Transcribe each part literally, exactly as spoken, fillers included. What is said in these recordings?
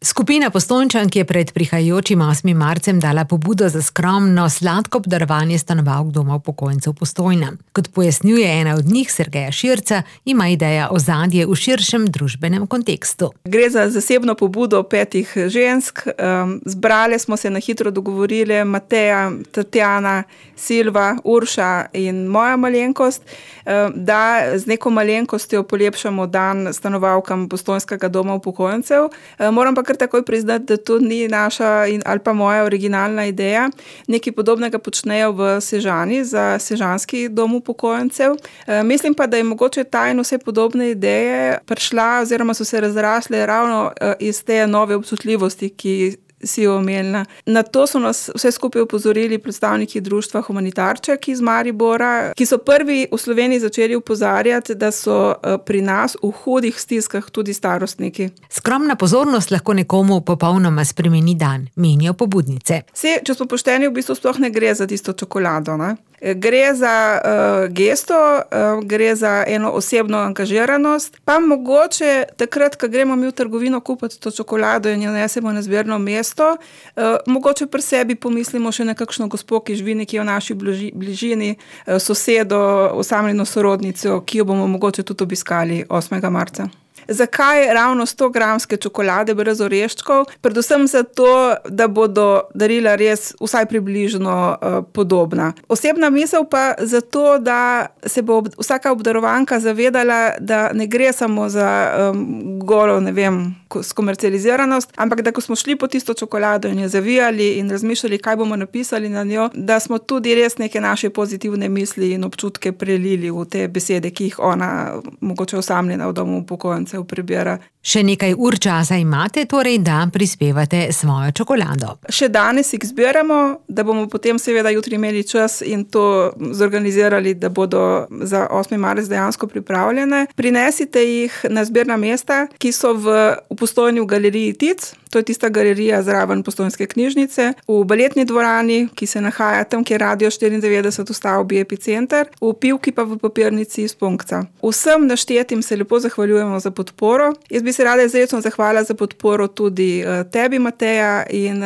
Skupina Postojnčank je pred prihajajočim osmim marcem dala pobudo za skromno, sladko obdarovanje stanovalk Doma upokojencev Postojna. Kot pojasnjuje ena od njih, Sergeja Širca, ima ideja ozadje v širšem družbenem kontekstu. Gre za zasebno pobudo petih žensk. Zbrale smo se na hitro dogovorili, Mateja, Tatjana, Silva, Urša in moja malenkost, da z neko malenkostjo polepšamo dan stanovalkam Postojnskega doma upokojencev. Moram pa kar takoj priznati, da to ni naša in, ali pa moja originalna ideja. Nekaj podobnega počnejo v Sežani za Sežanski dom upokojencev. E, mislim pa, da je mogoče ta in vse podobne ideje prišla oziroma so se razrasle ravno e, iz te nove občutljivosti, ki si jo omenila. Na to so nas vse skupaj opozorili predstavniki društva Humanitarček iz Maribora, ki so prvi v Sloveniji začeli opozarjati, da so pri nas v hudih stiskah tudi starostniki. Skromna pozornost lahko nekomu popolnoma spremeni dan, menijo pobudnice. Se, če smo pošteni, v bistvu sploh ne gre za tisto čokolado, ne? Gre za uh, gesto, uh, gre za eno osebno angažiranost, pa mogoče takrat, ko gremo mi v trgovino kupiti to čokolado in jo nesemo na zbirno mesto, uh, mogoče pri sebi pomislimo še na kakšno gospo, ki živi nekje v naši bližini, uh, sosedo, osamljeno sorodnico, ki jo bomo mogoče tudi obiskali osmega marca. Zakaj ravno sto gramske čokolade brez oreščkov? Predvsem zato, da bodo darila res vsaj približno uh, podobna. Osebna misel pa zato, da se bo ob, vsaka obdarovanka zavedala, da ne gre samo za um, golo, ne vem, skomercializiranost, ampak da ko smo šli po tisto čokolado in jo zavijali in razmišljali, kaj bomo napisali na njo, da smo tudi res neke naše pozitivne misli in občutke prelili v te besede, ki jih ona mogoče osamljena v domu upokojencev prebira. Še nekaj ur časa imate, torej da prispevate svojo čokolado. Še danes jih zbiramo, da bomo potem seveda jutri imeli čas in to zorganizirali, da bodo za osmi marec dejansko pripravljene. Prinesite jih na zbirna mesta, ki so v, v Postojni v galeriji Tic, to je tista galerija zraven Postojnske knjižnice, v baletni dvorani, ki se nahaja tam, kjer Radio štiriindevetdeset v stavbi Epicenter, v Pivki pa v papirnici iz Punkca. Vsem naštetim se lepo zahvaljujemo za podporo. Jaz bi se rada izrecno zahvala za podporo tudi tebi, Mateja, in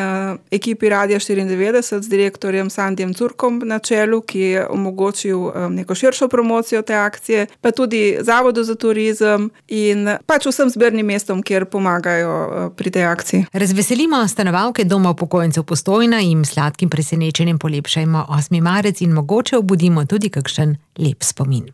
ekipi Radia štiriindevetdeset z direktorjem Sandijem Curkom na čelu, ki je omogočil neko širšo promocijo te akcije, pa tudi Zavodu za turizem in pač vsem zbirnim mestom, kjer pomagajo pri tej akciji. Razveselimo stanovalke Doma upokojencev Postojna in sladkim presenečenjem polepšajmo osmi marec in mogoče obudimo tudi kakšen lep spomin.